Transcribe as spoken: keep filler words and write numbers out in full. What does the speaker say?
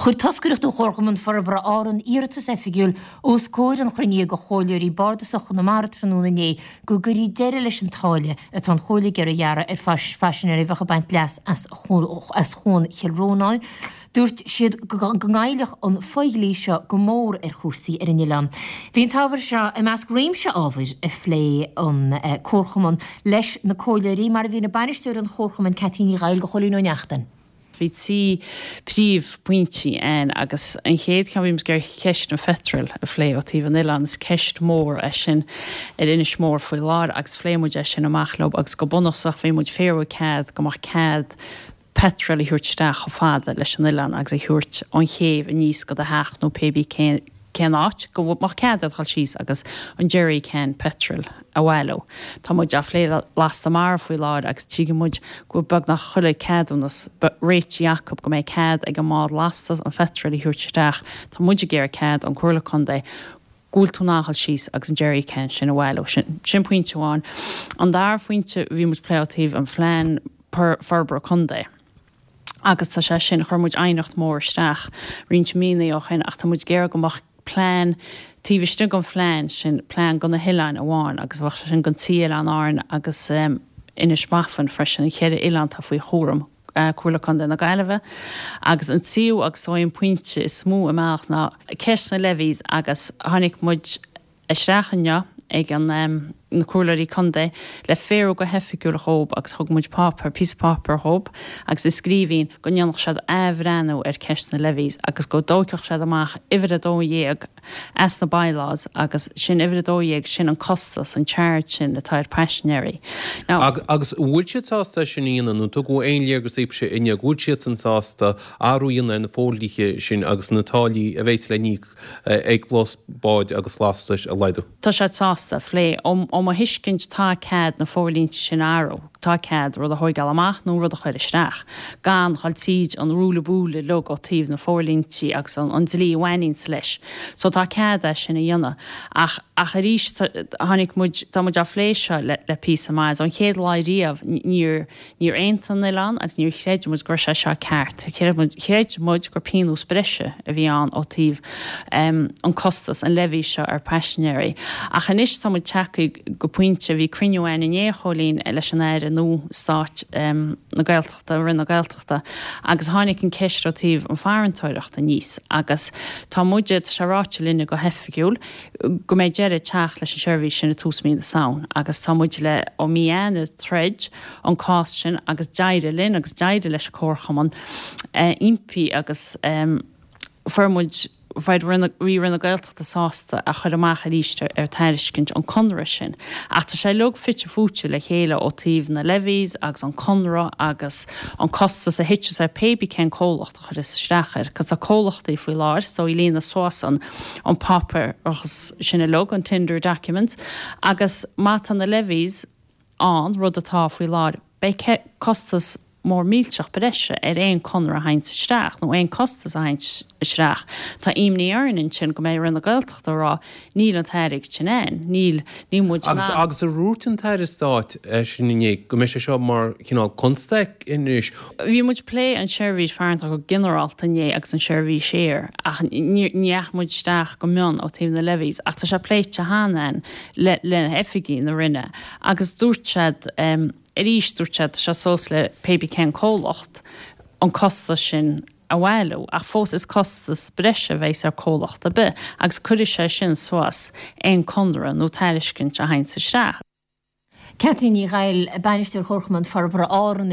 Chuir toscaireacht ó Chomharchumann Forbartha Árann iarratas oifigiúil os comhair an chruinnithe de Chomhairleoirí Bardasacha Chonamara tráthnóna inné go gcuirfí deireadh leis an táille atá an Chomhairle ag iarraidh a ghearradh ar phaisinéirí a bheadh ag baint leas as as Chuan Chill Rónáin. Dúirt siad go ngoillfeadh an fodhlí seo go mór ar chúrsaí ar an oileán. Bhí an t-ábhar seo i measc réimse ábhair a phléigh an Comharchumann leis na comhairleoirí mar a mhínigh bainisteoir an Chomharchumainn Ceaití Ní Dhaill do Chóilín Ó Neachtain. Bhí trí príomhphointí ann agus an chéad cheann bhí muid ag iarraidh ceist an phetrol a phlé ó taobh an oileáin is ceist mór é sin ar Inis Mór faoi láthair agus phléigh muid é sin amach leo agus go bunúsach bhí muid ag fiafraí cead go mbeadh cead petrol a thabhairt isteach chomh fada leis an oileán agus a thabhairt ón chéibh aníos go do theach nó pé bí cén cén áit go mbeadh cead a dhul síos agus an jerry can petrol a bhailiú. Tá muid á phlé lasta mara faoi láthair agus tuigeann muid go beagnach chuile ceadúnas réitithe acu go mbeidh cead ag an mbád lastas an phetrol a thabhairt isteach. Tá muid ag iarraidh cead ón Chomhairle Contae go bhfuil tú in ann dhul síos agus an jerry can sin a bhailiú. Sin, sin pointe amháin. An dara phointe bhí muid plé ó taobh an phlean forbartha contae. Agus tá sé sin chuir muid aighneacht mór isteach roinnt míonna ó shin ach tá muid ag iarraidh go mbeadh plean taobh istigh den phlean sin plean do na hoileáin amháin agus bheadh sé sin don trí oileán Árann agus um, Inis Bafann freisin an ceithre oileán atá faoi chúram uh, Comhairle Contae na Gaillimhe agus an tríú agus an pointe is mó amach ná ceist na levies agus tháinig muid isteach inniu ag an um, na comhairleoirí contae le fiafraí go hoifigiúil dhóibh agus thug muid páipéar píosa páipéir dhóibh agus i scríbhinn go ndéanfadh siad athbhreithniú ar ceist na levies agus go dtógfadh siad amach uimhir a dó dhéag as na bylaws agus sin uimhir a dó dhéag sin an costas an charge sin atá ar paisinéirí. Now, agus bhfuil siad sásta sin a dhéanamh nó tugadh aon léargas daoibhse inné bhfuil siad san sásta athrú a dhéanamh ar na fodhlíthe sin agus na táillí a bheas le n-íoc ag lucht báid agus lastais a laghdú. Tá siad sásta phlé ó ó mo thuiscint tá cead na forlínte sin athrú, tá cead rud a thógáil amach nó rud a chur isteach. Gan dul tríd an rúla búla le ó taobh na forlíntí agus an, an dlí a bhaineann leis. So tá cead é sin a dhéanamh. Ach ach arís tháinig muid tá muid á phlé seo le, le píosa maith an chéad lá riamh níor níor aontaigh an oileán agus níor chreid muid gur sé seo ceart. Chreid muid gur pionós breise a bhí ann ó taobh um, an costas an levy seo ar paisinéirí. Ach anois tá muid tagtha go pointe bhí cruinniú againn inné Chóilín leis an Aire nua Stáit um, na Gaeltachta Roinn na Gaeltachta agus tháinig an ceist ó taobh an farantóireacht aníos agus tá muid sé ráite linne go hoifigiúil go mbeidh deireadh ag teacht leis an seirbhís sin i tús mí na Samhna agus tá muid le ó mí Eanáir troid an cás sin agus d'éirigh linn agus d'éirigh leis an Chomharchumann uh, impí agus um, fuair muid bhí Roinn na Gaeltachta sásta a chur amach arís ar tairiscint an conradh sin. Ach tá sé uilig fite fuaite le chéile ó taobh na levies agus an conradh agus an costas a thiteas ar pé bí cén comhlacht a chur isteach air, cos tá comhlachtaí faoi láthair so i líonadh suas an an páipéar agus sin uilig an tender documents agus má tá na levies an rud atá faoi láthair beidh costas mór millteach breise ar aon conradh a thagann isteach nó aon costas a thagann isteach. Tá imní orainn ansin go mbeidh Roinn na Gaeltachta rá níl an t-airgead sin ann, níl ní muid Agus agus ar dhúirt an tAire Stáit sin inné go mbeidh sé seo mar chineál constaic anois. Bhí muid plé an seirbhís farantóireachta go ginearálta inné agus an seirbhís aeir ach ní ndeachaigh muid isteach go mion ó taobh na levies ach tá sé pléite cheana le le hoifigigh na Roinne agus dúirt siad um, arís dúirt siad sé suas le pé bí cén comhlacht an costas sin a bhailiú ach fós is costas breise a bheas ar comhlacht ar bith agus cuirfidh sé sin suas aon conradh nó tairiscint a thagann isteach. Ceaití Ní Ghaill bainisteoir Chomharchumann Forbartha Árann.